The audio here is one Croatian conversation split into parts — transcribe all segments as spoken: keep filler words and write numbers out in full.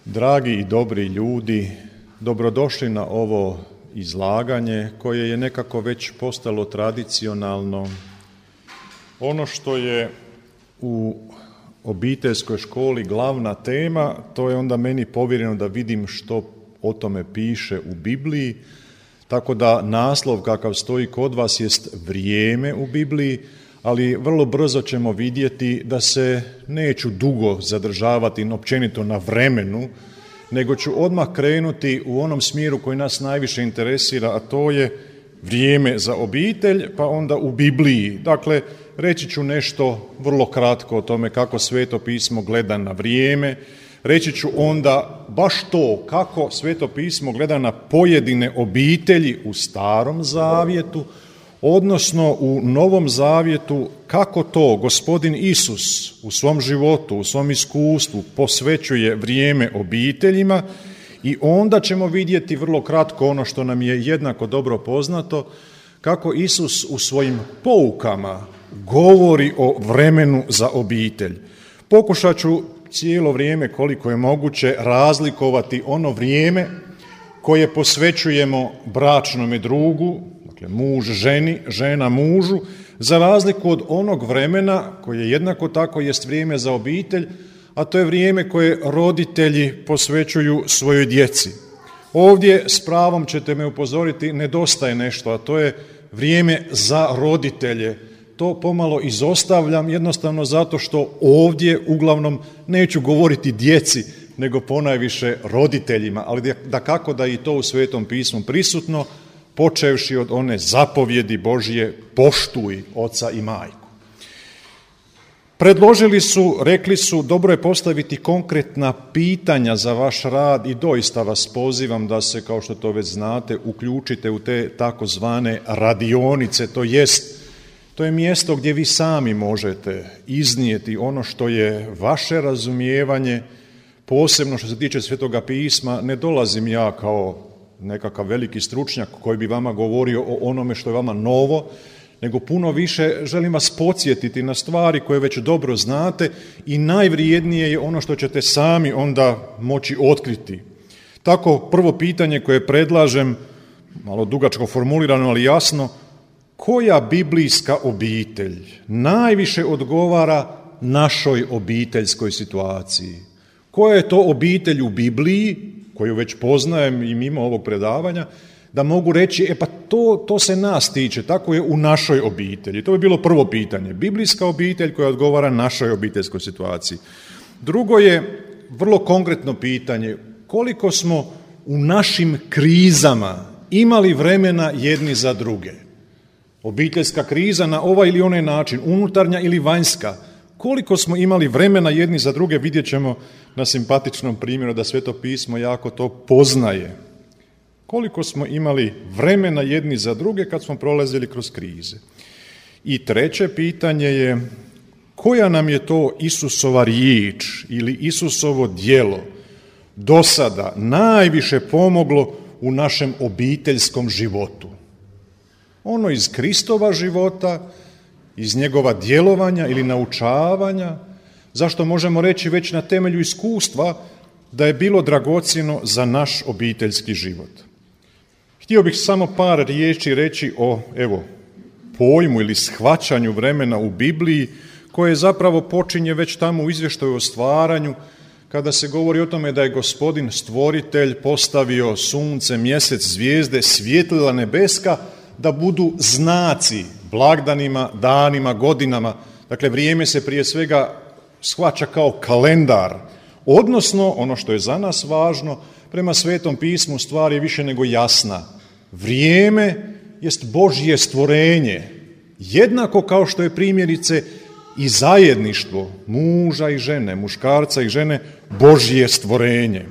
Dragi i dobri ljudi, dobrodošli na ovo izlaganje koje je nekako već postalo tradicionalno. Ono što je u obiteljskoj školi glavna tema, to je onda meni povjereno da vidim što o tome piše u Bibliji, tako da naslov kakav stoji kod vas jest vrijeme u Bibliji, ali vrlo brzo ćemo vidjeti da se neću dugo zadržavati općenito na vremenu, nego ću odmah krenuti u onom smjeru koji nas najviše interesira, a to je vrijeme za obitelj, pa onda u Bibliji. Dakle, reći ću nešto vrlo kratko o tome kako Sveto pismo gleda na vrijeme, reći ću onda baš to kako Sveto pismo gleda na pojedine obitelji u Starom zavjetu, odnosno u Novom zavjetu kako to Gospodin Isus u svom životu, u svom iskustvu posvećuje vrijeme obiteljima i onda ćemo vidjeti vrlo kratko ono što nam je jednako dobro poznato, kako Isus u svojim poukama govori o vremenu za obitelj. Pokušat ću cijelo vrijeme koliko je moguće razlikovati ono vrijeme koje posvećujemo bračnome drugu, dakle muž ženi, žena mužu, za razliku od onog vremena koje jednako tako jest vrijeme za obitelj, a to je vrijeme koje roditelji posvećuju svojoj djeci. Ovdje s pravom ćete me upozoriti, nedostaje nešto, a to je vrijeme za roditelje. To pomalo izostavljam jednostavno zato što ovdje uglavnom neću govoriti djeci, nego ponajviše roditeljima, ali dakako da i to u Svetom pismu prisutno, počevši od one zapovjedi Božje poštuj oca i majku. Predložili su, rekli su, dobro je postaviti konkretna pitanja za vaš rad i doista vas pozivam da se, kao što to već znate, uključite u te takozvane radionice, to jest, to je mjesto gdje vi sami možete iznijeti ono što je vaše razumijevanje, posebno što se tiče Svetoga pisma. Ne dolazim ja kao nekakav veliki stručnjak koji bi vama govorio o onome što je vama novo, nego puno više želim vas podsjetiti na stvari koje već dobro znate i najvrijednije je ono što ćete sami onda moći otkriti. Tako prvo pitanje koje predlažem, malo dugačko formulirano, ali jasno, koja biblijska obitelj najviše odgovara našoj obiteljskoj situaciji? Koja je to obitelj u Bibliji, koju već poznajem i mimo ovog predavanja, da mogu reći, e pa to, to se nas tiče, tako je u našoj obitelji. To bi bilo prvo pitanje. Biblijska obitelj koja odgovara našoj obiteljskoj situaciji. Drugo je vrlo konkretno pitanje, koliko smo u našim krizama imali vremena jedni za druge. Obiteljska kriza na ovaj ili onaj način, unutarnja ili vanjska, koliko smo imali vremena jedni za druge, vidjet ćemo na simpatičnom primjeru da Sveto pismo jako to poznaje. Koliko smo imali vremena jedni za druge kad smo prolazili kroz krize. I treće pitanje je, koja nam je to Isusova riječ ili Isusovo djelo do sada najviše pomoglo u našem obiteljskom životu? Ono iz Kristova života, iz njegova djelovanja ili naučavanja, zašto možemo reći već na temelju iskustva da je bilo dragocjeno za naš obiteljski život. Htio bih samo par riječi reći o, evo, pojmu ili shvaćanju vremena u Bibliji, koje zapravo počinje već tamo u izvještaju o stvaranju, kada se govori o tome da je Gospodin stvoritelj postavio sunce, mjesec, zvijezde, svjetlila nebeska, da budu znaci blagdanima, danima, godinama. Dakle, vrijeme se prije svega shvaća kao kalendar, odnosno, ono što je za nas važno, prema Svetom pismu stvar je više nego jasna. Vrijeme jest Božje stvorenje, jednako kao što je primjerice i zajedništvo muža i žene, muškarca i žene, Božje stvorenje.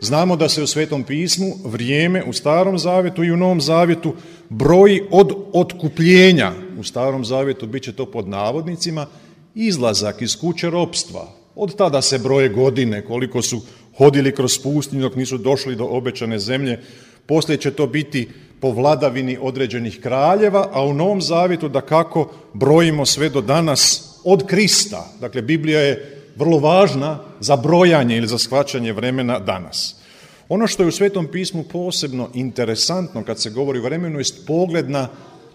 Znamo da se u Svetom pismu vrijeme u Starom zavjetu i u Novom zavjetu broji od otkupljenja. U Starom zavjetu bit će to pod navodnicima izlazak iz kuće ropstva. Od tada se broje godine, koliko su hodili kroz pustinju dok nisu došli do obećane zemlje. Poslije će to biti po vladavini određenih kraljeva, a u Novom zavjetu dakako brojimo sve do danas od Krista. Dakle, Biblija je vrlo važna za brojanje ili za shvaćanje vremena danas. Ono što je u Svetom pismu posebno interesantno kad se govori o vremenu jest pogled na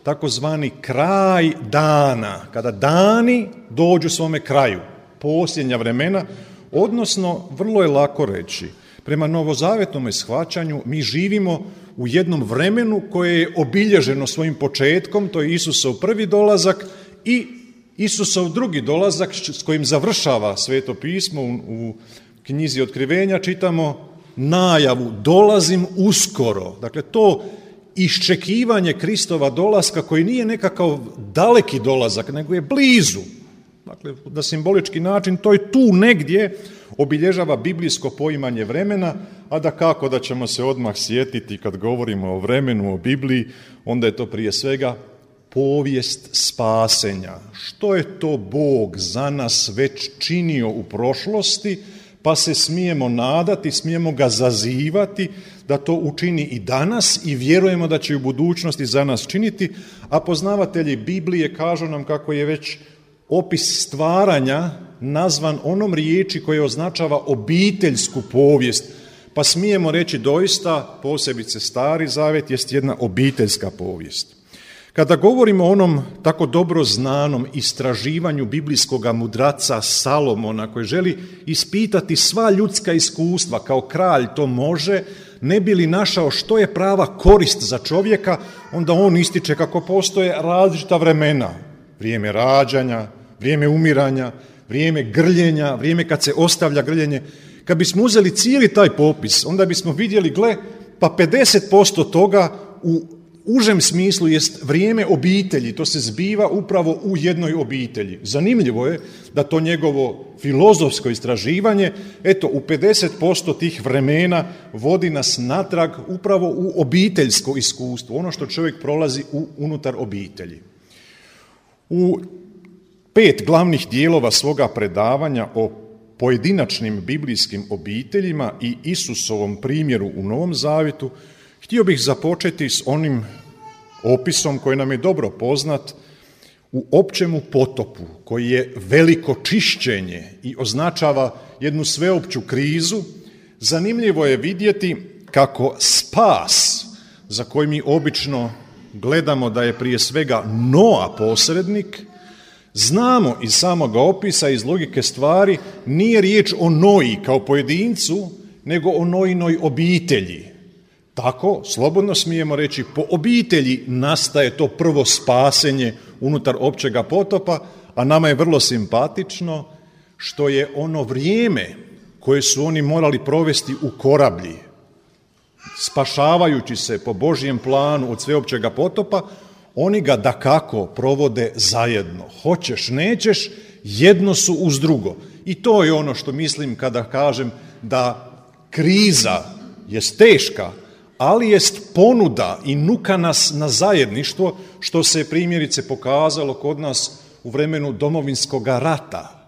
takozvani kraj dana, kada dani dođu svome kraju, posljednja vremena, odnosno vrlo je lako reći, prema novozavetnom shvaćanju mi živimo u jednom vremenu koje je obilježeno svojim početkom, to je Isusov prvi dolazak i Isusov drugi dolazak s kojim završava Sveto pismo. U knjizi Otkrivenja čitamo najavu dolazim uskoro. Dakle, to iščekivanje Kristova dolaska koji nije nekakav daleki dolazak, nego je blizu. Dakle, na simbolički način to je tu negdje obilježava biblijsko poimanje vremena, a da kako da ćemo se odmah sjetiti kad govorimo o vremenu, o Bibliji, onda je to prije svega povijest spasenja. Što je to Bog za nas već činio u prošlosti, pa se smijemo nadati, smijemo ga zazivati da to učini i danas i vjerujemo da će u budućnosti za nas činiti, a poznavatelji Biblije kažu nam kako je već opis stvaranja nazvan onom riječi koja označava obiteljsku povijest, pa smijemo reći doista, posebice Stari Zavet jest jedna obiteljska povijest. Kada govorimo o onom tako dobro znanom istraživanju biblijskog mudraca Salomona koji želi ispitati sva ljudska iskustva, kao kralj to može, ne bi li našao što je prava korist za čovjeka, onda on ističe kako postoje različita vremena. Vrijeme rađanja, vrijeme umiranja, vrijeme grljenja, vrijeme kad se ostavlja grljenje. Kad bismo uzeli cijeli taj popis, onda bismo vidjeli, gle, pa pedeset posto toga u užem smislu jest vrijeme obitelji, to se zbiva upravo u jednoj obitelji. Zanimljivo je da to njegovo filozofsko istraživanje, eto, u pedeset posto tih vremena vodi nas natrag upravo u obiteljsko iskustvo, ono što čovjek prolazi u, unutar obitelji. U pet glavnih dijelova svoga predavanja o pojedinačnim biblijskim obiteljima i Isusovom primjeru u Novom Zavjetu, htio bih započeti s onim opisom koji nam je dobro poznat u općemu potopu, koji je veliko čišćenje i označava jednu sveopću krizu. Zanimljivo je vidjeti kako spas, za koji mi obično gledamo da je prije svega Noa posrednik, znamo iz samoga opisa, iz logike stvari, nije riječ o Noji kao pojedincu, nego o Nojinoj obitelji. Tako, slobodno smijemo reći, po obitelji nastaje to prvo spasenje unutar općega potopa, a nama je vrlo simpatično što je ono vrijeme koje su oni morali provesti u korablji, spašavajući se po Božjem planu od sveopćega potopa, oni ga dakako provode zajedno. Hoćeš, nećeš, jedno su uz drugo. I to je ono što mislim kada kažem da kriza je teška, ali jest ponuda i nuka nas na zajedništvo, što se primjerice pokazalo kod nas u vremenu Domovinskog rata.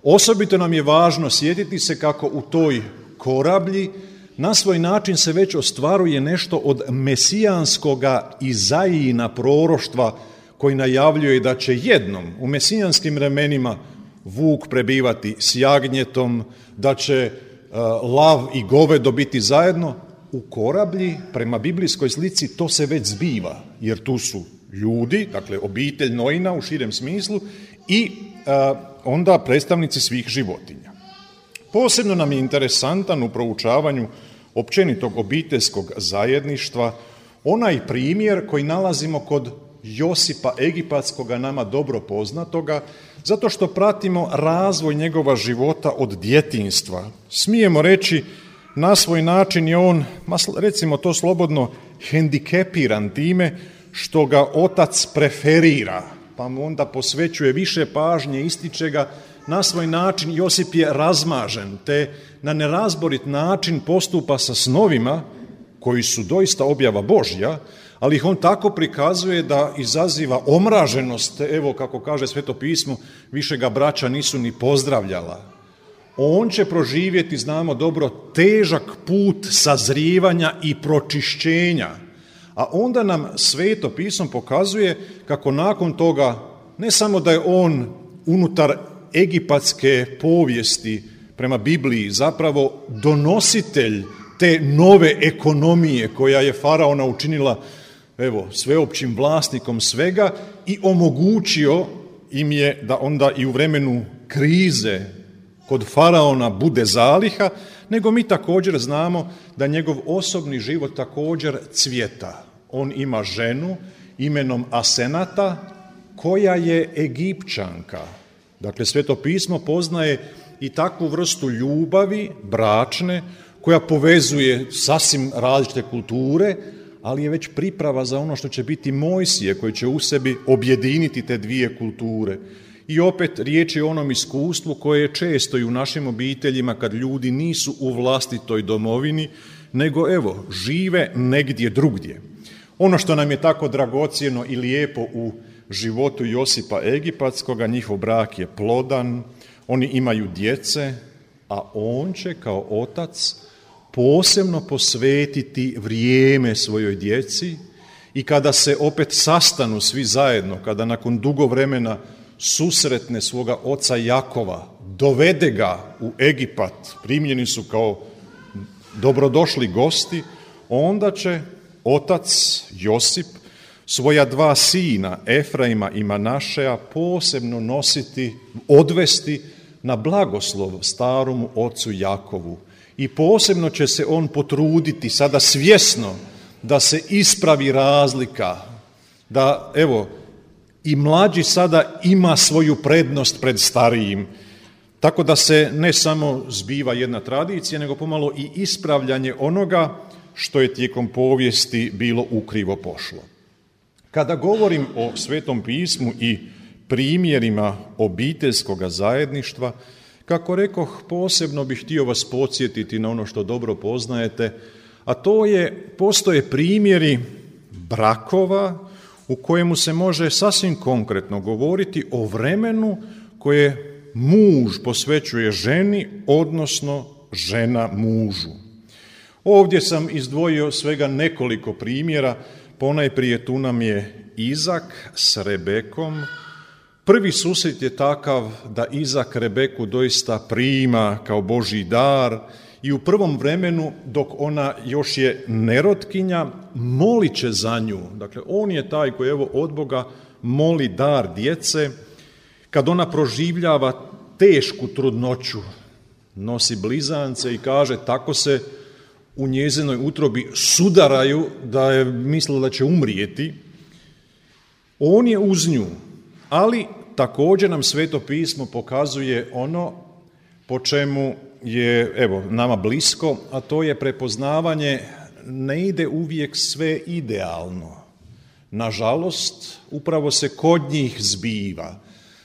Osobito nam je važno sjetiti se kako u toj korablji na svoj način se već ostvaruje nešto od mesijanskoga Izajina proroštva koji najavljuje da će jednom u mesijanskim vremenima vuk prebivati s jagnjetom, da će uh, lav i govedo biti zajedno. U korablji, prema biblijskoj slici, to se već zbiva, jer tu su ljudi, dakle obitelj Nojina u širem smislu i uh, onda predstavnici svih životinja. Posebno nam je interesantan u proučavanju općenitog obiteljskog zajedništva onaj primjer koji nalazimo kod Josipa Egipatskoga, nama dobro poznatoga, zato što pratimo razvoj njegova života od djetinjstva. Smijemo reći, na svoj način je on, recimo to slobodno, hendikepiran time što ga otac preferira, pa mu onda posvećuje više pažnje, ističe ga. Na svoj način Josip je razmažen, te na nerazborit način postupa sa snovima koji su doista objava Božja, ali ih on tako prikazuje da izaziva omraženost. Evo, kako kaže Sveto pismo, više ga braća nisu ni pozdravljala. On će proživjeti, znamo dobro, težak put sazrijevanja i pročišćenja. A onda nam Sveto pismo pokazuje kako nakon toga, ne samo da je on unutar egipatske povijesti prema Bibliji zapravo donositelj te nove ekonomije koja je faraona učinila evo, sveopćim vlasnikom svega i omogućio im je da onda i u vremenu krize kod faraona bude zaliha, nego mi također znamo da njegov osobni život također cvjeta. On ima ženu imenom Asenata koja je Egipćanka. Dakle, Sveto pismo poznaje i takvu vrstu ljubavi, bračne, koja povezuje sasvim različite kulture, ali je već priprava za ono što će biti Mojsije, koji će u sebi objediniti te dvije kulture. I opet riječ je o onom iskustvu koje je često i u našim obiteljima kad ljudi nisu u vlastitoj domovini, nego evo, žive negdje drugdje. Ono što nam je tako dragocjeno i lijepo u životu Josipa Egipatskoga, njihov brak je plodan, oni imaju djece, a on će kao otac posebno posvetiti vrijeme svojoj djeci i kada se opet sastanu svi zajedno, kada nakon dugo vremena susretne svoga oca Jakova, dovede ga u Egipat, primljeni su kao dobrodošli gosti, onda će otac Josip svoja dva sina, Efraima i Manašeja, posebno nositi, odvesti na blagoslov staromu ocu Jakovu. I posebno će se on potruditi sada svjesno da se ispravi razlika, da evo i mlađi sada ima svoju prednost pred starijim, tako da se ne samo zbiva jedna tradicija, nego pomalo i ispravljanje onoga što je tijekom povijesti bilo ukrivo pošlo. Kada govorim o Svetom pismu i primjerima obiteljskoga zajedništva, kako rekoh, posebno bih htio vas podsjetiti na ono što dobro poznajete, a to je, postoje primjeri brakova u kojemu se može sasvim konkretno govoriti o vremenu koje muž posvećuje ženi, odnosno žena mužu. Ovdje sam izdvojio svega nekoliko primjera, ponajprije tu nam je Izak s Rebekom. Prvi susret je takav da Izak Rebeku doista prima kao Božji dar i u prvom vremenu, dok ona još je nerotkinja, molit će za nju. Dakle, on je taj koji evo od Boga moli dar djece. Kad ona proživljava tešku trudnoću, nosi blizance i kaže tako se u njezinoj utrobi sudaraju da je mislila da će umrijeti. On je uz nju, ali također nam Sveto pismo pokazuje ono po čemu je evo nama blisko, a to je prepoznavanje, ne ide uvijek sve idealno. Nažalost, upravo se kod njih zbiva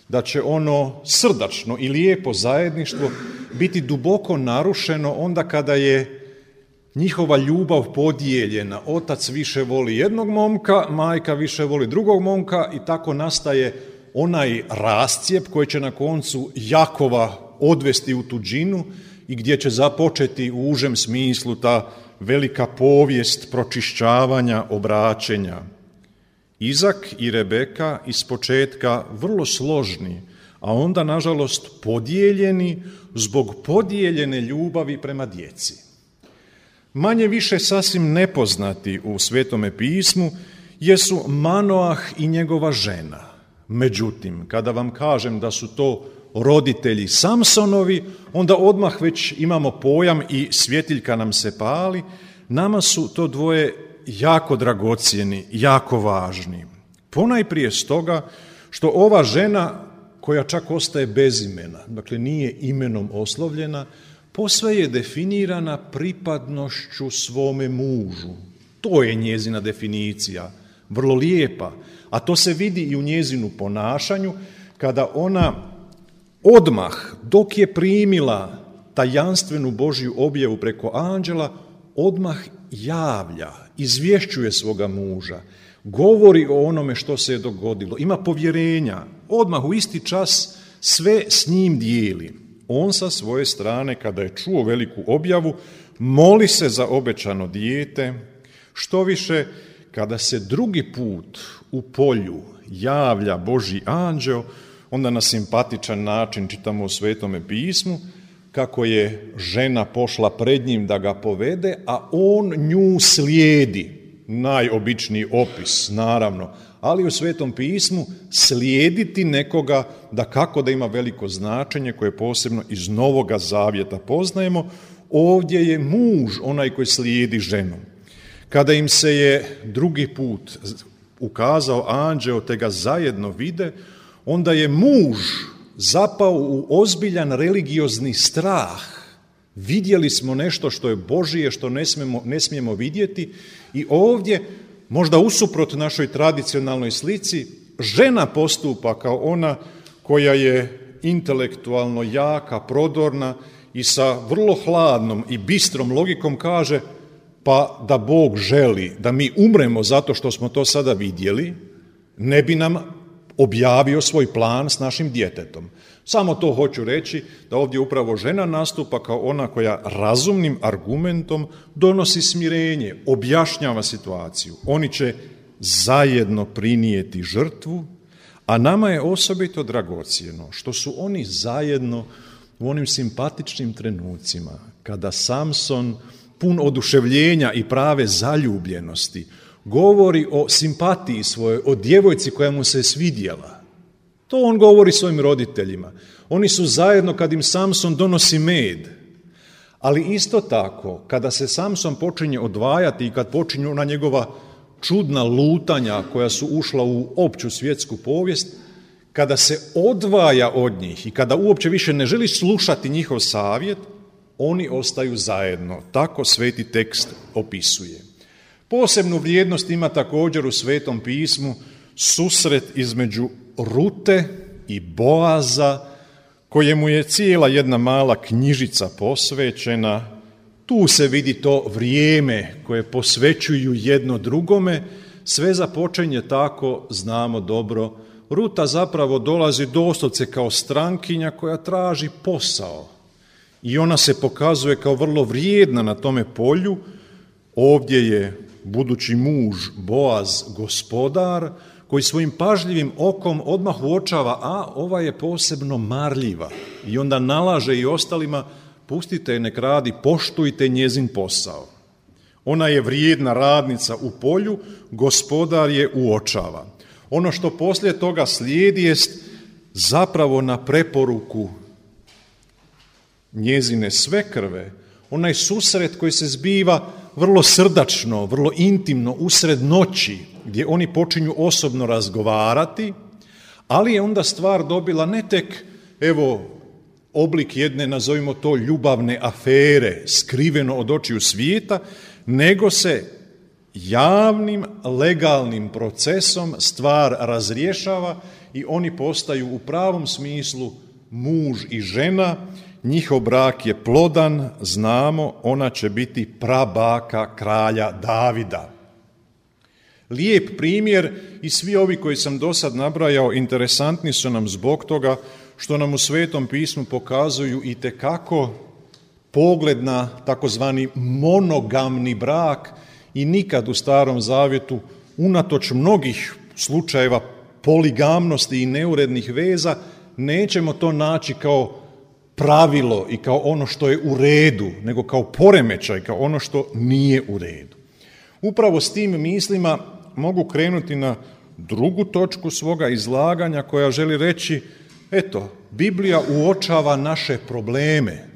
da će ono srdačno i lijepo zajedništvo biti duboko narušeno onda kada je njihova ljubav podijeljena. Otac više voli jednog momka, majka više voli drugog momka i tako nastaje onaj rascijep koji će na koncu Jakova odvesti u tuđinu i gdje će započeti u užem smislu ta velika povijest pročišćavanja, obraćenja. Izak i Rebeka ispočetka vrlo složni, a onda nažalost podijeljeni zbog podijeljene ljubavi prema djeci. Manje više sasvim nepoznati u Svetome pismu jesu Manoah i njegova žena. Međutim, kada vam kažem da su to roditelji Samsonovi, onda odmah već imamo pojam i svjetiljka nam se pali. Nama su to dvoje jako dragocjeni, jako važni. Ponajprije stoga što ova žena, koja čak ostaje bez imena, dakle nije imenom oslovljena, posve je definirana pripadnošću svome mužu. To je njezina definicija, vrlo lijepa, a to se vidi i u njezinu ponašanju, kada ona odmah, dok je primila tajanstvenu Božju objavu preko anđela, odmah javlja, izvješćuje svoga muža, govori o onome što se je dogodilo, ima povjerenja, odmah u isti čas sve s njim dijeli. On sa svoje strane, kada je čuo veliku objavu, moli se za obećano dijete. Što više, kada se drugi put u polju javlja Božji anđeo, onda na simpatičan način čitamo u Svetome pismu, kako je žena pošla pred njim da ga povede, a on nju slijedi. Najobičniji opis, naravno, ali u Svetom pismu slijediti nekoga da kako da ima veliko značenje koje posebno iz Novoga Zavjeta poznajemo. Ovdje je muž onaj koji slijedi ženu. Kada im se je drugi put ukazao anđeo te ga zajedno vide, onda je muž zapao u ozbiljan religiozni strah. Vidjeli smo nešto što je Božije, što ne smijemo, ne smijemo vidjeti i ovdje, možda usuprot našoj tradicionalnoj slici, žena postupa kao ona koja je intelektualno jaka, prodorna i sa vrlo hladnom i bistrom logikom kaže pa da Bog želi da mi umremo zato što smo to sada vidjeli, ne bi nam objavio svoj plan s našim djetetom. Samo to hoću reći, da ovdje upravo žena nastupa kao ona koja razumnim argumentom donosi smirenje, objašnjava situaciju. Oni će zajedno prinijeti žrtvu, a nama je osobito dragocjeno što su oni zajedno u onim simpatičnim trenucima, kada Samson, pun oduševljenja i prave zaljubljenosti, govori o simpatiji svojoj, o djevojci koja mu se svidjela. To on govori svojim roditeljima. Oni su zajedno kad im Samson donosi med. Ali isto tako, kada se Samson počinje odvajati i kad počinju na njegova čudna lutanja koja su ušla u opću svjetsku povijest, kada se odvaja od njih i kada uopće više ne želi slušati njihov savjet, oni ostaju zajedno. Tako sveti tekst opisuje. Posebnu vrijednost ima također u Svetom pismu susret između Rute i Boaza, kojemu je cijela jedna mala knjižica posvećena. Tu se vidi to vrijeme koje posvećuju jedno drugome. Sve započinje tako, znamo dobro. Ruta zapravo dolazi doslovce kao strankinja koja traži posao. I ona se pokazuje kao vrlo vrijedna na tome polju. Ovdje je budući muž Boaz gospodar, koji svojim pažljivim okom odmah uočava, a ova je posebno marljiva. I onda nalaže i ostalima, pustite je nek radi, poštujte njezin posao. Ona je vrijedna radnica u polju, gospodar je uočava. Ono što poslije toga slijedi jest zapravo na preporuku njezine svekrve, onaj susret koji se zbiva vrlo srdačno, vrlo intimno, usred noći, gdje oni počinju osobno razgovarati, ali je onda stvar dobila ne tek, evo, oblik jedne, nazovimo to, ljubavne afere, skriveno od očiju svijeta, nego se javnim, legalnim procesom stvar razrješava i oni postaju u pravom smislu muž i žena. Njihov brak je plodan, znamo, ona će biti prabaka kralja Davida. Lijep primjer i svi ovi koji sam do sad nabrajao interesantni su nam zbog toga što nam u Svetom pismu pokazuju itekako pogled na takozvani monogamni brak i nikad u Starom Zavjetu, unatoč mnogih slučajeva poligamnosti i neurednih veza, nećemo to naći kao pravilo i kao ono što je u redu, nego kao poremećaj, kao ono što nije u redu. Upravo s tim mislima mogu krenuti na drugu točku svoga izlaganja koja želi reći, eto, Biblija uočava naše probleme.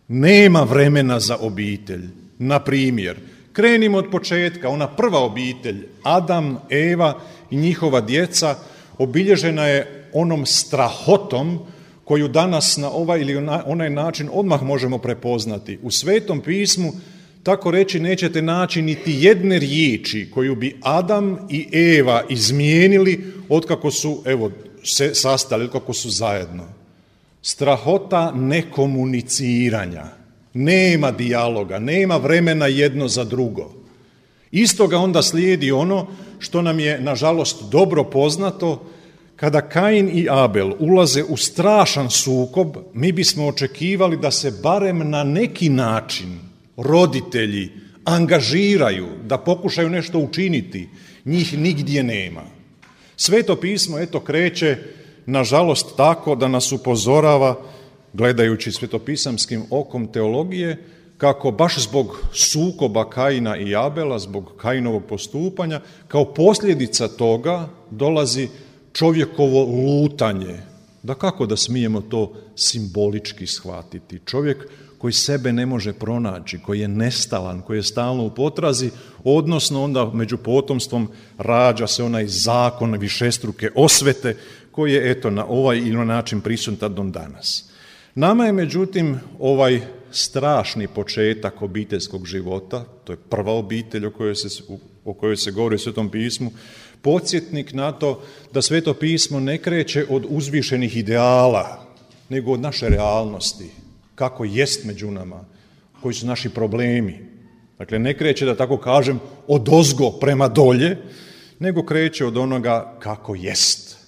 Nema vremena za obitelj. Na primjer, krenimo od početka, ona prva obitelj, Adam, Eva i njihova djeca, obilježena je onom strahotom koju danas na ovaj ili onaj način odmah možemo prepoznati. U Svetom pismu, tako reći, nećete naći niti jedne riječi koju bi Adam i Eva izmijenili otkako su, evo, se sastali, kako su zajedno. Strahota nekomuniciranja, nema dijaloga, nema vremena jedno za drugo. Istoga onda slijedi ono što nam je, nažalost, dobro poznato. Kada Kain i Abel ulaze u strašan sukob, mi bismo očekivali da se barem na neki način roditelji angažiraju, da pokušaju nešto učiniti. Njih nigdje nema. Sveto pismo, eto, kreće nažalost tako da nas upozorava, gledajući svetopisamskim okom teologije, kako baš zbog sukoba Kaina i Abela, zbog Kainovog postupanja, kao posljedica toga dolazi čovjekovo lutanje. Da kako da smijemo to simbolički shvatiti? Čovjek koji sebe ne može pronaći, koji je nestalan, koji je stalno u potrazi, odnosno onda među potomstvom rađa se onaj zakon višestruke osvete koji je eto na ovaj ili na način prisutan do danas. Nama je međutim ovaj strašni početak obiteljskog života, to je prva obitelj o kojoj se, o kojoj se govori u Svetom pismu, podsjetnik na to da Sveto pismo ne kreće od uzvišenih ideala, nego od naše realnosti, kako jest među nama, koji su naši problemi. Dakle, ne kreće, da tako kažem, odozgo prema dolje, nego kreće od onoga kako jest.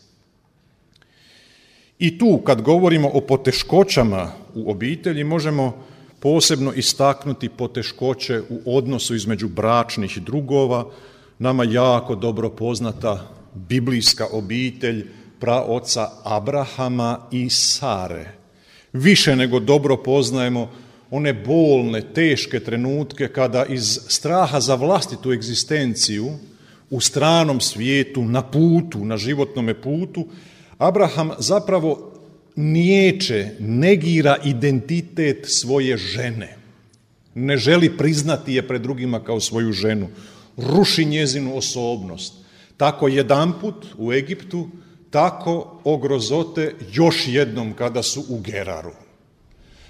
I tu, kad govorimo o poteškoćama u obitelji, možemo posebno istaknuti poteškoće u odnosu između bračnih drugova, nama jako dobro poznata biblijska obitelj praoca Abrahama i Sare. Više nego dobro poznajemo one bolne, teške trenutke kada iz straha za vlastitu egzistenciju u stranom svijetu, na putu, na životnome putu, Abraham zapravo niječe, negira identitet svoje žene. Ne želi priznati je pred drugima kao svoju ženu. Ruši njezinu osobnost. Tako jedanput u Egiptu, tako o grozote još jednom kada su u Geraru.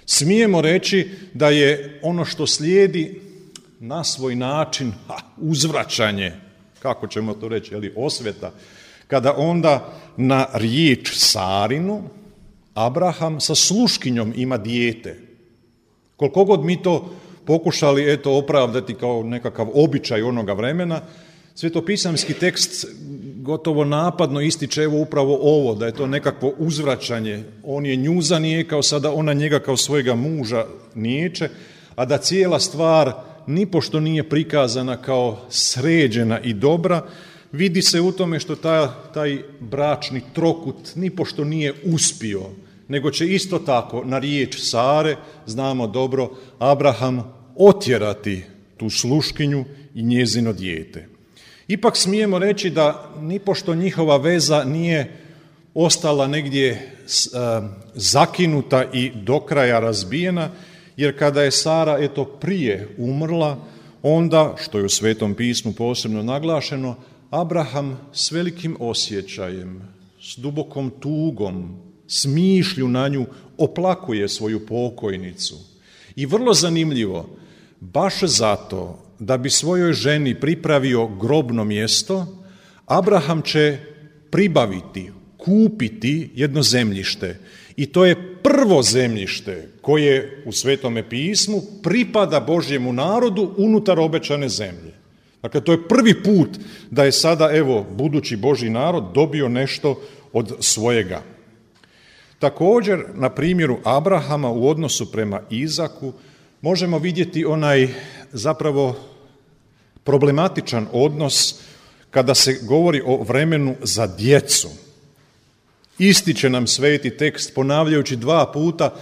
Smijemo reći da je ono što slijedi na svoj način ha, uzvraćanje, kako ćemo to reći, ali osveta, kada onda na riječ Sarinu Abraham sa sluškinjom ima dijete. Koliko god mi to pokušali eto opravdati kao nekakav običaj onoga vremena, svetopisamski tekst gotovo napadno ističe evo upravo ovo, da je to nekakvo uzvraćanje. On je nju zanijekao, sada ona njega kao svojega muža niječe, a da cijela stvar nipošto nije prikazana kao sređena i dobra, vidi se u tome što taj, taj bračni trokut nipošto nije uspio, nego će isto tako na riječ Sare, znamo dobro, Abraham otjerati tu sluškinju i njezino dijete. Ipak smijemo reći da nipošto njihova veza nije ostala negdje zakinuta i do kraja razbijena, jer kada je Sara eto prije umrla, onda, što je u Svetom pismu posebno naglašeno, Abraham s velikim osjećajem, s dubokom tugom, s mišlju na nju oplakuje svoju pokojnicu. I vrlo zanimljivo, baš zato da bi svojoj ženi pripravio grobno mjesto, Abraham će pribaviti, kupiti jedno zemljište. I to je prvo zemljište koje u Svetome pismu pripada Božjemu narodu unutar obećane zemlje. Dakle, to je prvi put da je sada, evo, budući Božji narod dobio nešto od svojega. Također, na primjeru Abrahama u odnosu prema Izaku, možemo vidjeti onaj zapravo problematičan odnos kada se govori o vremenu za djecu. Ističe nam sveti tekst, ponavljajući dva puta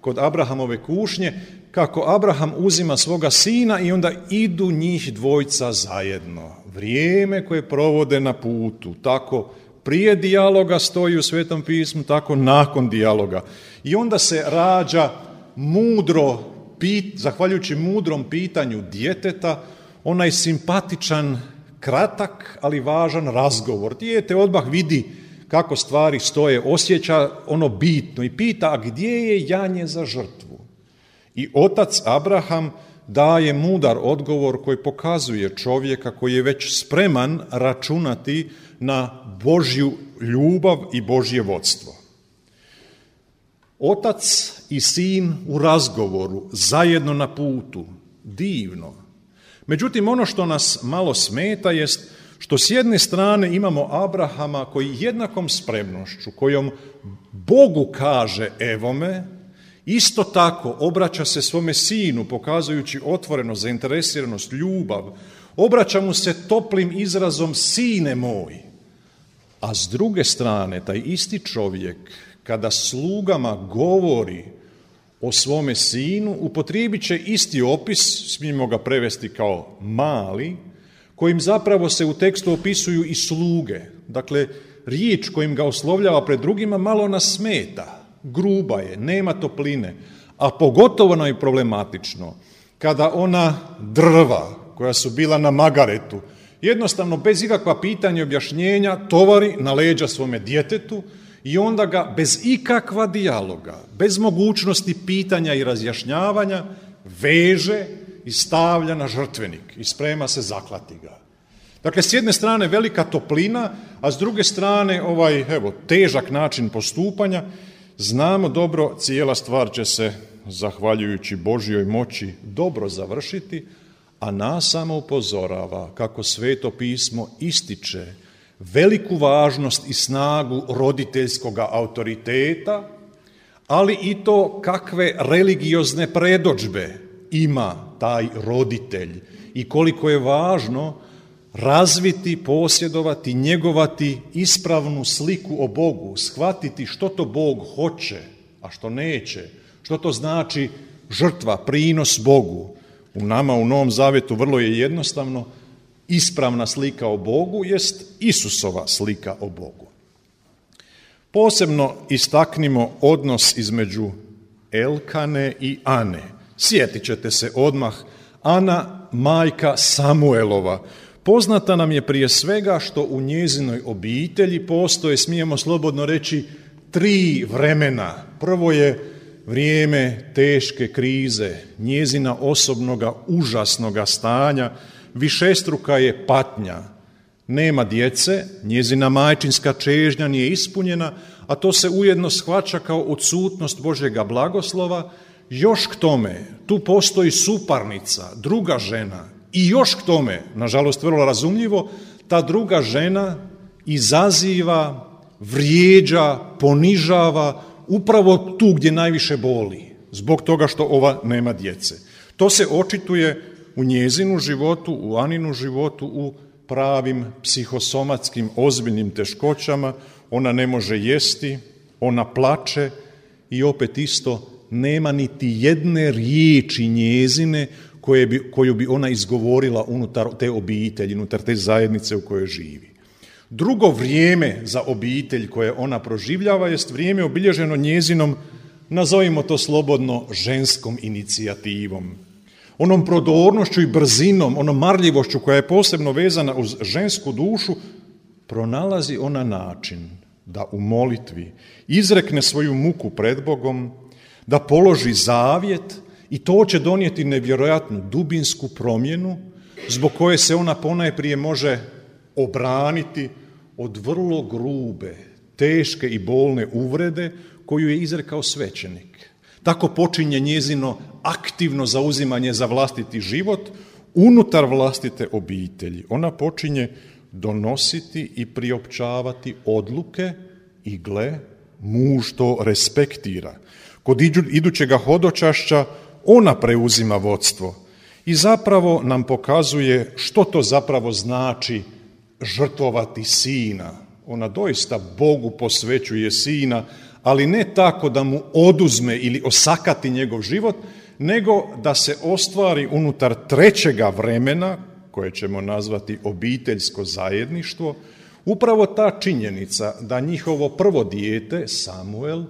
kod Abrahamove kušnje, kako Abraham uzima svoga sina i onda idu njih dvojca zajedno. Vrijeme koje provode na putu, tako prije dijaloga stoji u Svetom pismu, tako nakon dijaloga. I onda se rađa mudro, pit, zahvaljujući mudrom pitanju djeteta, onaj simpatičan, kratak, ali važan razgovor. Dijete odmah vidi kako stvari stoje, osjeća ono bitno i pita, a gdje je janje za žrtvu? I otac Abraham daje mudar odgovor koji pokazuje čovjeka koji je već spreman računati na Božju ljubav i Božje vodstvo. Otac i sin u razgovoru, zajedno na putu, divno. Međutim, ono što nas malo smeta jest što s jedne strane imamo Abrahama koji jednakom spremnošću, kojom Bogu kaže evo me, isto tako obraća se svome sinu, pokazujući otvorenost, zainteresiranost, ljubav, obraća mu se toplim izrazom sine moj. A s druge strane, taj isti čovjek, kada slugama govori o svome sinu, upotrijebit će isti opis, smijemo ga prevesti kao mali, kojim zapravo se u tekstu opisuju i sluge. Dakle, riječ kojim ga oslovljava pred drugima malo nas smeta, gruba je, nema topline, a pogotovo nam je problematično kada ona drva koja su bila na magaretu, jednostavno bez ikakva pitanja i objašnjenja tovari na leđa svome djetetu i onda ga bez ikakva dijaloga, bez mogućnosti pitanja i razjašnjavanja veže i stavlja na žrtvenik i sprema se zaklati ga. Dakle, s jedne strane velika toplina, a s druge strane ovaj evo težak način postupanja. Znamo dobro, cijela stvar će se, zahvaljujući Božjoj moći, dobro završiti, a nas samo upozorava kako Sveto pismo ističe veliku važnost i snagu roditeljskog autoriteta, ali i to kakve religiozne predodžbe ima taj roditelj i koliko je važno razviti, posjedovati, njegovati ispravnu sliku o Bogu, shvatiti što to Bog hoće, a što neće, što to znači žrtva, prinos Bogu. U nama u Novom Zavjetu vrlo je jednostavno, ispravna slika o Bogu jest Isusova slika o Bogu. Posebno istaknimo odnos između Elkane i Ane. Sjetit ćete se odmah, Ana, majka Samuelova, poznata nam je prije svega što u njezinoj obitelji postoje, smijemo slobodno reći, tri vremena. Prvo je vrijeme teške krize, njezina osobnoga užasnoga stanja, višestruka je patnja. Nema djece, njezina majčinska čežnja nije ispunjena, a to se ujedno shvaća kao odsutnost Božjega blagoslova. Još k tome, tu postoji suparnica, druga žena, i još k tome, nažalost vrlo razumljivo, ta druga žena izaziva, vrijeđa, ponižava upravo tu gdje najviše boli, zbog toga što ova nema djece. To se očituje u njezinu životu, u Aninu životu, u pravim psihosomatskim ozbiljnim teškoćama. Ona ne može jesti, ona plače i opet isto nema niti jedne riječi njezine koje bi, koju bi ona izgovorila unutar te obitelji, unutar te zajednice u kojoj živi. Drugo vrijeme za obitelj koje ona proživljava jest vrijeme obilježeno njezinom, nazovimo to slobodno, ženskom inicijativom. Onom prodornošću i brzinom, onom marljivošću koja je posebno vezana uz žensku dušu, pronalazi ona način da u molitvi izrekne svoju muku pred Bogom, da položi zavjet i to će donijeti nevjerojatnu dubinsku promjenu zbog koje se ona ponajprije može obraniti od vrlo grube, teške i bolne uvrede koju je izrekao svećenik. Tako počinje njezino aktivno zauzimanje za vlastiti život unutar vlastite obitelji. Ona počinje donositi i priopćavati odluke i gle, muž to respektira. Kod idućega hodočašća ona preuzima vodstvo i zapravo nam pokazuje što to zapravo znači žrtvovati sina. Ona doista Bogu posvećuje sina, ali ne tako da mu oduzme ili osakati njegov život, nego da se ostvari unutar trećega vremena, koje ćemo nazvati obiteljsko zajedništvo, upravo ta činjenica da njihovo prvo dijete, Samuel,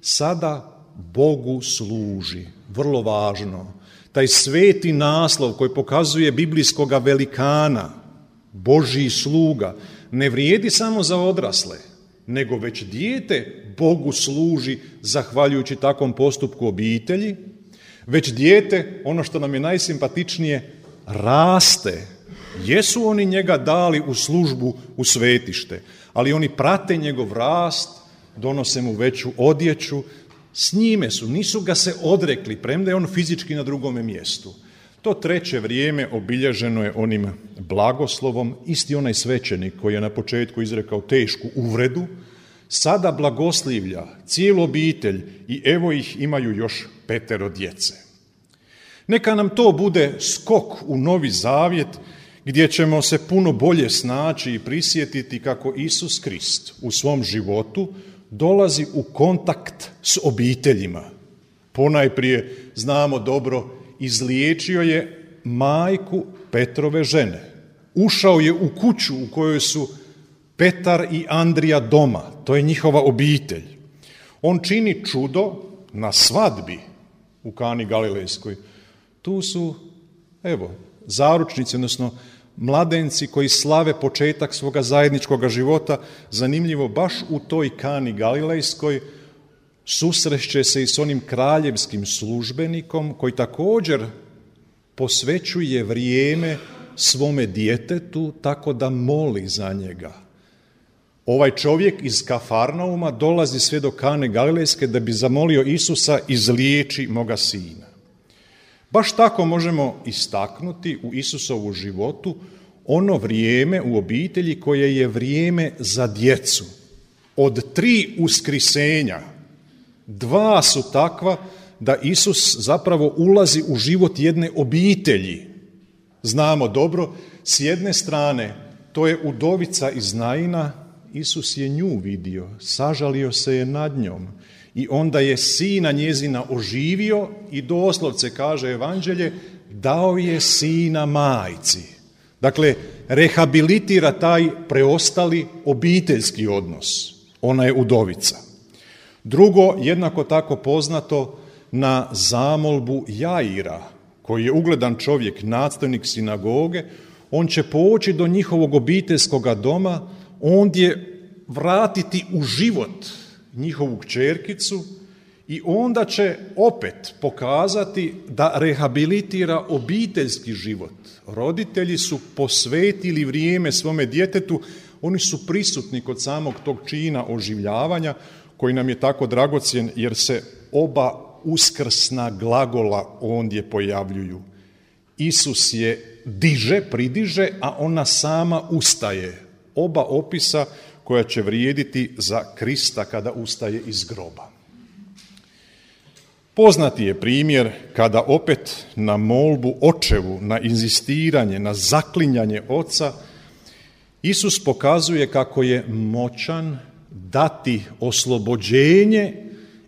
sada Bogu služi. Vrlo važno. Taj sveti naslov koji pokazuje biblijskoga velikana, Božji sluga, ne vrijedi samo za odrasle, nego već dijete Bogu služi zahvaljujući takvom postupku obitelji, već dijete, ono što nam je najsimpatičnije, raste. Jesu oni njega dali u službu u svetište, ali oni prate njegov rast, donose mu veću odjeću, s njime su, nisu ga se odrekli, premda je on fizički na drugome mjestu. To treće vrijeme obilježeno je onim blagoslovom, isti onaj svećenik koji je na početku izrekao tešku uvredu, sada blagoslivlja cijelu obitelj i evo ih imaju još petero djece. Neka nam to bude skok u Novi Zavjet gdje ćemo se puno bolje snaći i prisjetiti kako Isus Krist u svom životu dolazi u kontakt s obiteljima. Ponajprije, znamo dobro, izliječio je majku Petrove žene. Ušao je u kuću u kojoj su Petar i Andrija doma, to je njihova obitelj. On čini čudo na svadbi u Kani Galilejskoj. Tu su, evo, zaručnici, odnosno mladenci koji slave početak svoga zajedničkog života. Zanimljivo, baš u toj Kani Galilejskoj susreće se i s onim kraljevskim službenikom koji također posvećuje vrijeme svome djetetu tako da moli za njega. Ovaj čovjek iz Kafarnauma dolazi sve do Kane Galilejske da bi zamolio Isusa: izliječi moga sina. Baš tako možemo istaknuti u Isusovu životu ono vrijeme u obitelji koje je vrijeme za djecu. Od tri uskrisenja, dva su takva da Isus zapravo ulazi u život jedne obitelji. Znamo dobro, s jedne strane, to je udovica iz Naina, Isus je nju vidio, sažalio se je nad njom i onda je sina njezina oživio i doslovce, kaže Evanđelje, dao je sina majci. Dakle, rehabilitira taj preostali obiteljski odnos. Ona je udovica. Drugo, jednako tako poznato, na zamolbu Jaira, koji je ugledan čovjek, nastavnik sinagoge, on će poći do njihovog obiteljskog doma, ondje vratiti u život njihovu kćerkicu i onda će opet pokazati da rehabilitira obiteljski život. Roditelji su posvetili vrijeme svome djetetu, oni su prisutni kod samog tog čina oživljavanja koji nam je tako dragocjen jer se oba uskrsna glagola ondje pojavljuju. Isus je diže, pridiže, a ona sama ustaje. Oba opisa koja će vrijediti za Krista kada ustaje iz groba. Poznati je primjer kada opet na molbu očevu, na inzistiranje, na zaklinjanje oca, Isus pokazuje kako je moćan dati oslobođenje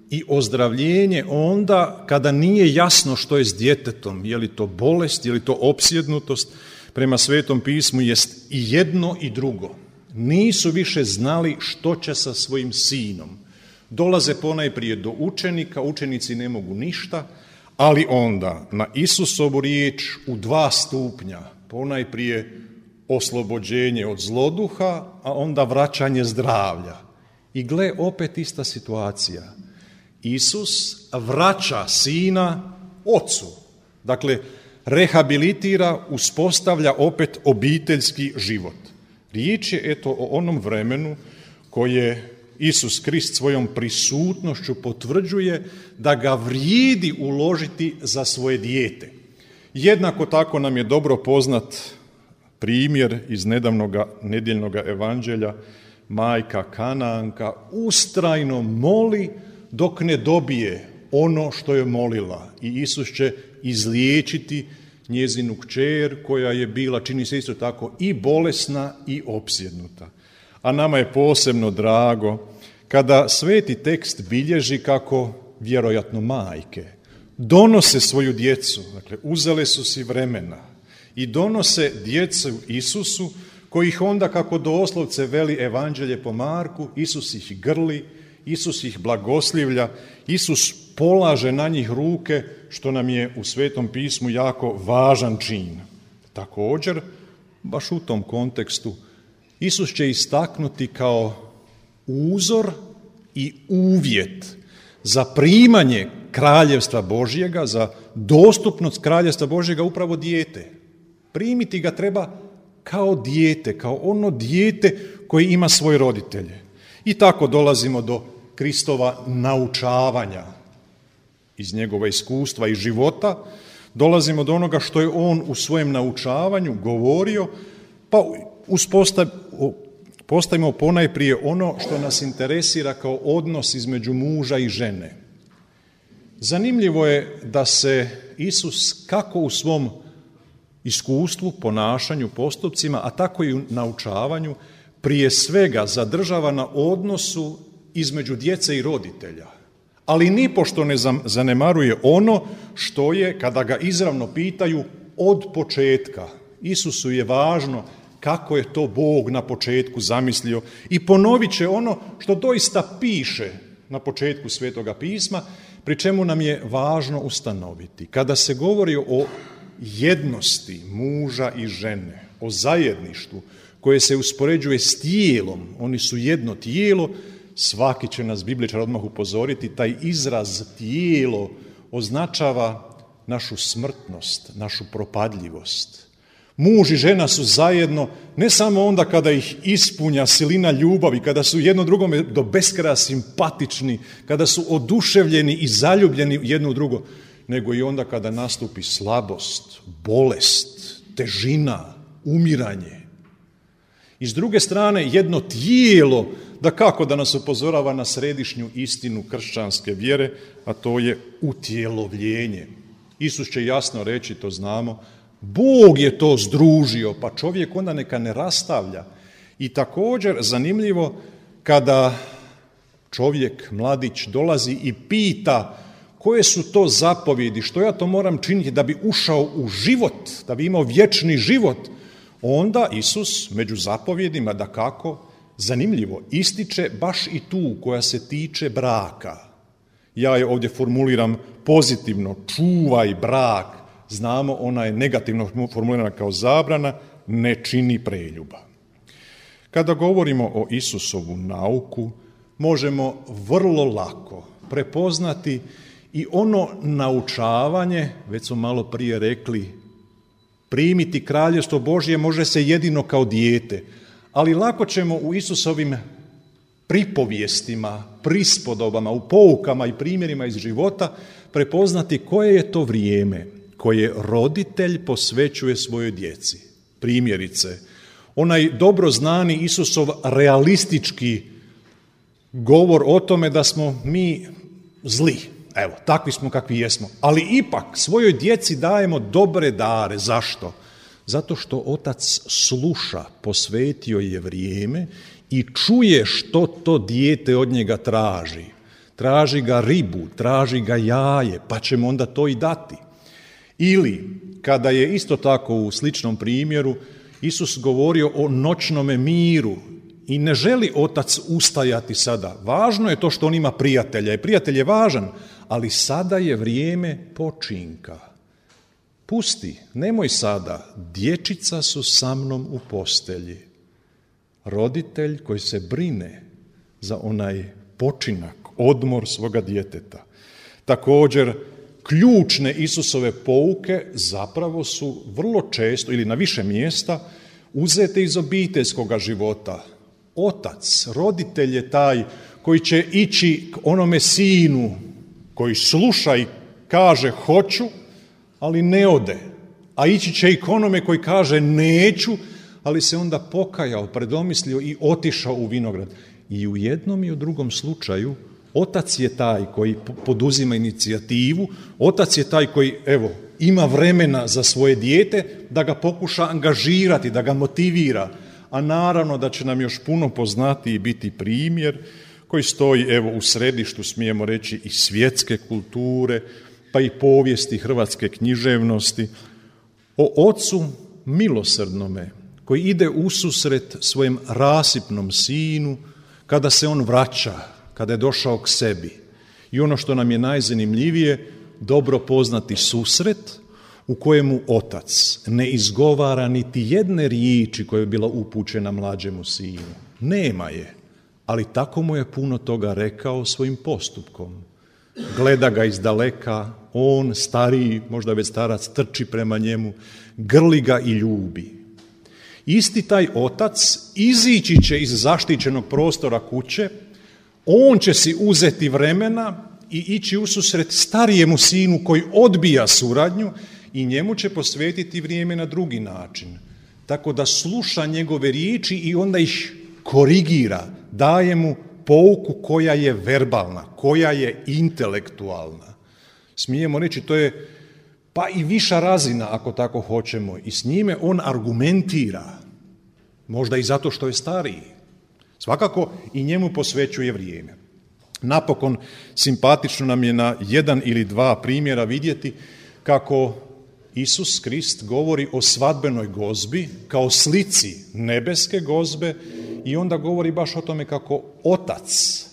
i ozdravljenje onda kada nije jasno što je s djetetom, je li to bolest, je li to opsjednutost. Prema Svetom pismu jest i jedno i drugo. Nisu više znali što će sa svojim sinom. Dolaze ponajprije do učenika, učenici ne mogu ništa, ali onda na Isusovu riječ u dva stupnja, ponajprije oslobođenje od zloduha, a onda vraćanje zdravlja. I gle, opet ista situacija. Isus vraća sina ocu. Dakle, rehabilitira, uspostavlja opet obiteljski život. Riječ je eto o onom vremenu koje Isus Krist svojom prisutnošću potvrđuje da ga vrijedi uložiti za svoje dijete. Jednako tako nam je dobro poznat primjer iz nedavnoga nedjeljnoga evanđelja. Majka Kanaanka ustrajno moli dok ne dobije ono što je molila i Isus će izliječiti njezinu kćer koja je bila, čini se isto tako, i bolesna i opsjednuta. A nama je posebno drago kada sveti tekst bilježi kako vjerojatno majke donose svoju djecu, dakle uzele su si vremena i donose djecu Isusu, kojih onda, kako doslovce veli Evanđelje po Marku, Isus ih grli, Isus ih blagoslivlja, Isus polaže na njih ruke, što nam je u Svetom pismu jako važan čin. Također, baš u tom kontekstu, Isus će istaknuti kao uzor i uvjet za primanje kraljevstva Božjega, za dostupnost kraljevstva Božjega upravo dijete. Primiti ga treba kao dijete, kao ono dijete koje ima svoje roditelje. I tako dolazimo do Kristova naučavanja iz njegova iskustva i života, dolazimo do onoga što je on u svojem naučavanju govorio, pa postavimo ponajprije ono što nas interesira kao odnos između muža i žene. Zanimljivo je da se Isus kako u svom iskustvu, ponašanju, postupcima, a tako i u naučavanju, prije svega zadržava na odnosu između djece i roditelja. Ali nipošto ne zanemaruje ono što je, kada ga izravno pitaju, od početka. Isusu je važno kako je to Bog na početku zamislio i ponovit će ono što doista piše na početku Svetoga pisma, pri čemu nam je važno ustanoviti. Kada se govori o jednosti muža i žene, o zajedništvu koje se uspoređuje s tijelom, oni su jedno tijelo, svaki će nas bibličar odmah upozoriti, taj izraz tijelo označava našu smrtnost, našu propadljivost. Muž i žena su zajedno ne samo onda kada ih ispunja silina ljubavi, kada su jedno drugome do beskraja simpatični, kada su oduševljeni i zaljubljeni jedno u drugo, nego i onda kada nastupi slabost, bolest, težina, umiranje. I s druge strane, jedno tijelo, da kako da nas upozorava na središnju istinu kršćanske vjere, a to je utjelovljenje. Isus će jasno reći, to znamo, Bog je to združio, pa čovjek onda neka ne rastavlja. I također zanimljivo kada čovjek, mladić, dolazi i pita koje su to zapovjedi, što ja to moram činiti da bi ušao u život, da bi imao vječni život, onda Isus među zapovjedima, dakako, zanimljivo, ističe baš i tu koja se tiče braka. Ja je ovdje formuliram pozitivno, čuvaj brak. Znamo, ona je negativno formulirana kao zabrana, ne čini preljuba. Kada govorimo o Isusovu nauku, možemo vrlo lako prepoznati i ono naučavanje, već smo malo prije rekli, primiti kraljevstvo Božje može se jedino kao dijete, ali lako ćemo u Isusovim pripovijestima, prispodobama, u poukama i primjerima iz života prepoznati koje je to vrijeme koje roditelj posvećuje svojoj djeci. Primjerice, onaj dobro znani Isusov realistički govor o tome da smo mi zli. Evo, takvi smo kakvi jesmo. Ali ipak svojoj djeci dajemo dobre dare. Zašto? Zato što otac sluša, posvetio je vrijeme i čuje što to dijete od njega traži. Traži ga ribu, traži ga jaje, pa ćemo onda to i dati. Ili, kada je isto tako u sličnom primjeru, Isus govorio o noćnome miru i ne želi otac ustajati sada. Važno je to što on ima prijatelja i prijatelj je važan, ali sada je vrijeme počinka. Pusti, nemoj sada, dječica su sa mnom u postelji. Roditelj koji se brine za onaj počinak, odmor svoga djeteta. Također, ključne Isusove pouke zapravo su vrlo često ili na više mjesta uzete iz obiteljskoga života. Otac, roditelj je taj koji će ići k onome sinu koji sluša i kaže hoću, ali ne ode. A ići će i k onome koji kaže neću, ali se onda pokajao, predomislio i otišao u vinograd. I u jednom i u drugom slučaju otac je taj koji poduzima inicijativu, otac je taj koji, evo, ima vremena za svoje dijete da ga pokuša angažirati, da ga motivira. A naravno da će nam još puno poznati i biti primjer koji stoji, evo, u središtu, smijemo reći, i svjetske kulture, pa i povijesti hrvatske književnosti, o ocu milosrdnome koji ide ususret svojem rasipnom sinu kada se on vraća, kada je došao k sebi. I ono što nam je najzanimljivije, dobro poznati susret u kojemu otac ne izgovara niti jedne riječi koja je bila upućena mlađemu sinu. Nema je, ali tako mu je puno toga rekao svojim postupkom. Gleda ga iz daleka, on, stariji, možda već starac, trči prema njemu, grli ga i ljubi. Isti taj otac izići će iz zaštićenog prostora kuće, on će si uzeti vremena i ići ususret starijemu sinu koji odbija suradnju i njemu će posvetiti vrijeme na drugi način. Tako da sluša njegove riječi i onda ih korigira, daje mu pouku koja je verbalna, koja je intelektualna. Smijemo reći, to je pa i viša razina, ako tako hoćemo, i s njime on argumentira, možda i zato što je stariji. Svakako i njemu posvećuje vrijeme. Napokon, simpatično nam je na jedan ili dva primjera vidjeti kako Isus Krist govori o svadbenoj gozbi kao slici nebeske gozbe i onda govori baš o tome kako otac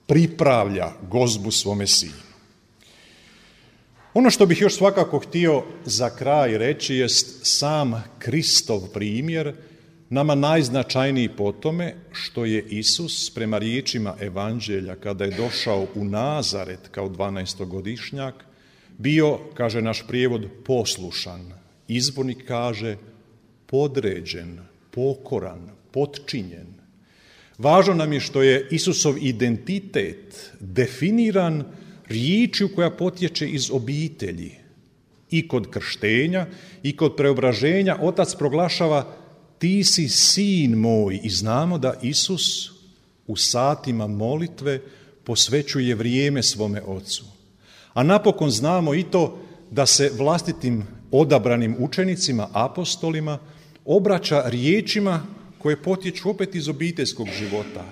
pripravlja gozbu svome sinu. Ono što bih još svakako htio za kraj reći jest sam Kristov primjer, nama najznačajniji po tome što je Isus prema riječima Evanđelja kada je došao u Nazaret kao dvanaestogodišnjak bio, kaže naš prijevod, poslušan. Izbornik kaže podređen, pokoran, potčinjen. Važno nam je što je Isusov identitet definiran riječju koja potječe iz obitelji. I kod krštenja i kod preobraženja otac proglašava ti si sin moj i znamo da Isus u satima molitve posvećuje vrijeme svome ocu. A napokon znamo i to da se vlastitim odabranim učenicima, apostolima, obraća riječima koje potječu opet iz obiteljskog života.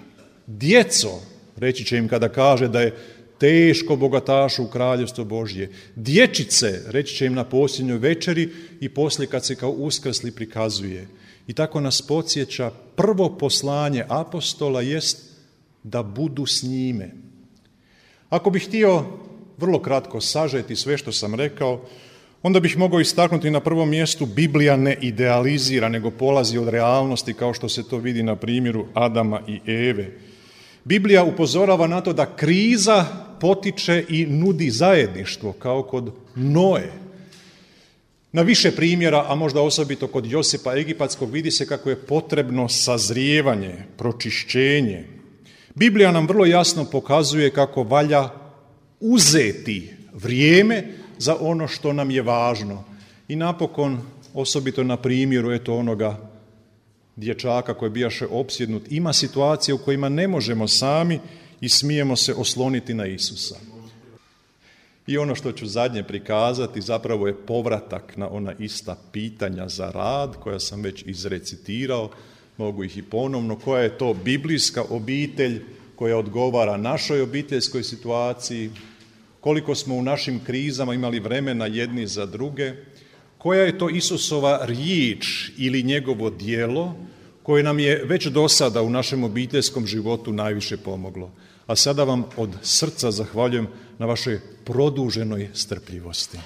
Djeco, reći će im kada kaže da je teško bogatašu u kraljevstvo Božje. Dječice, reći će im na posljednjoj večeri i poslije kad se kao uskrsli prikazuje. I tako nas podsjeća, prvo poslanje apostola jest da budu s njime. Ako bih htio vrlo kratko sažeti sve što sam rekao, onda bih mogao istaknuti na prvom mjestu Biblija ne idealizira, nego polazi od realnosti kao što se to vidi na primjeru Adama i Eve. Biblija upozorava na to da kriza potiče i nudi zajedništvo, kao kod Noe. Na više primjera, a možda osobito kod Josipa Egipatskog, vidi se kako je potrebno sazrijevanje, pročišćenje. Biblija nam vrlo jasno pokazuje kako valja uzeti vrijeme za ono što nam je važno. I napokon, osobito na primjeru eto onoga dječaka koji bijaše opsjednut, ima situacije u kojima ne možemo sami i smijemo se osloniti na Isusa. I ono što ću zadnje prikazati zapravo je povratak na ona ista pitanja za rad koja sam već izrecitirao, mogu ih i ponovno, koja je to biblijska obitelj koja odgovara našoj obiteljskoj situaciji, koliko smo u našim krizama imali vremena jedni za druge, koja je to Isusova riječ ili njegovo djelo koje nam je već do sada u našem obiteljskom životu najviše pomoglo. A sada vam od srca zahvaljujem na vašoj produženoj strpljivosti.